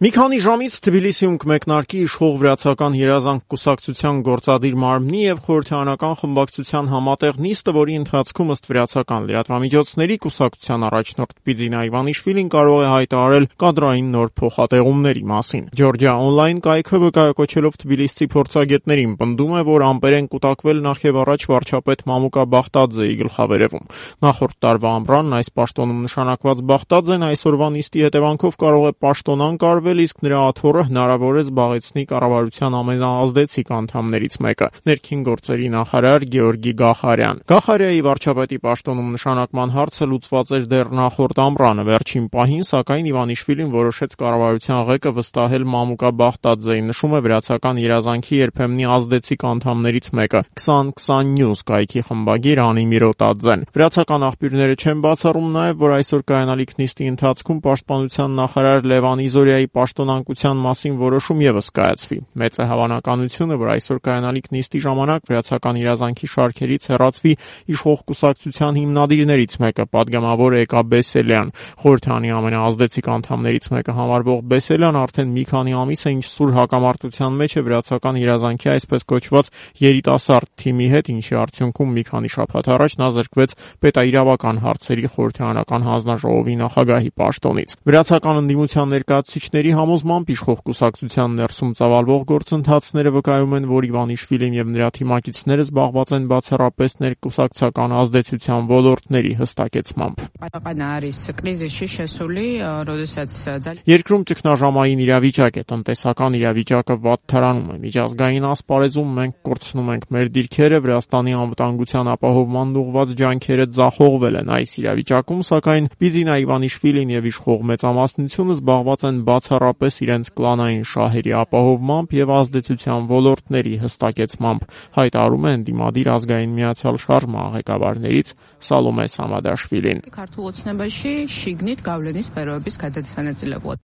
Մի քանի ժամից Թբիլիսիում կմեկնարկի իշխող վրացական երազանք կուսակցության գործադիր մարմնի եւ խորհրդարանական խմբակցության համատեղ նիստը, որի ընթացքում ըստ վրացական լրատվամիջոցների կուսակցության առաջնորդ Բիձինա Իվանիշվիլին կարող է հայտարարել կադրային նոր փոխհատեղումների մասին։ Ջորջիա օնլայն կայքը վկայակոչելով թբիլիսցի փորձագետներին պնդում է, որ ամպեր են կուտակվել նախևառաջ վարչապետ Մամուկա Բախտաձեի գլխավերևում։ Նախորդ տարվա ամռանն այս պաշտոնում նշանակված Բախտաձեն այսօրվա նիստի հետևանքով կարող է պաշտոնան կարվել, իսկ նրա աթոռը հնարավոր է զբաղեցնի կառավարության ամենաազդեցիկ անդամներից մեկը՝ ներքին գործերի նախարար Գեորգի Գախարյան։ Գախարյայի վարչապետի պաշտոնում նշանակման հարցը լուծված էր դեռ նախորդ ամռանը։ Վերջին պահին, սակայն, Իվանիշվիլին որոշեց կառավարության ղեկը վստահել Մամուկա Բախտաձեին, նշում է վրացական երազանքի երբեմնի ազդեցիկ անդամներից մեկը 2020 News կայքի խմբագիր Անի Միրոտաձեն։ Վրացական աղբյուրները չեն բացառում նաև, որ այսօր կայանալիք նիստի ընթացքում պաշտպանության նախարար Լևան Իզորյայի պաշտոնանկության մասին որոշում ևս կայացվի։ Մեծ է հավանականությունը, որ այսօր կայանալիք նիստի ժամանակ վրացական երազանքի շարքերից հեռացվի իշխող կուսակցության հիմնադիրներից մեկը, պատգամավոր Էկա Բեսելյան։ Խորհրդանի ամենաազդեցիկ անդամներից մեկը համարվող Բեսելյան արդեն մի քանի ամիս է ինչ սուր հակամարտության մեջ է վրացական երազանքի այսպես կոչված երիտասարդ թիմի հետ, ինչի արդյունքում մի քանի շաբաթ առաջ նա զրկվեց պետաիրավական հարցերի խորհրդարանական հանձնաժողովի նախագահի պաշտոնից։ Վրացական ընդդիմության ներկայացուցիչների համոզմամբ իշխող կուսակցության ներսում ծավալվող գործընթացները վկայում են, որ Իվանիշվիլին եւ նրա թիմակիցները զբաղված են բացառապես ներկուսակցական ազդեցության ոլորտների հստակեցմամբ։ Երկրում ճգնաժամային իրավիճակ է, տնտեսական իրավիճակը վատթարանում է։ Միջազգային ասպարեզում մենք կորցնում ենք մեր դիրքերը, Վրաստանի անվտանգության ապահովման ուղղված ջանքերը ձախողվել են։ Այս իրավիճակում, սակայն, Բիձինա Իվանիշվիլին եւ իշխող մեծամասնությունը զբաղված են բացառապես իրենց կլանային շահերի ապահովմամբ եւ ազդեցության ոլորտների հստակեցմամբ, հայտարարում է ընդդիմադիր ազգային միացյալ շարժման ղեկավարներից Սալոմե Սամադաշվիլին։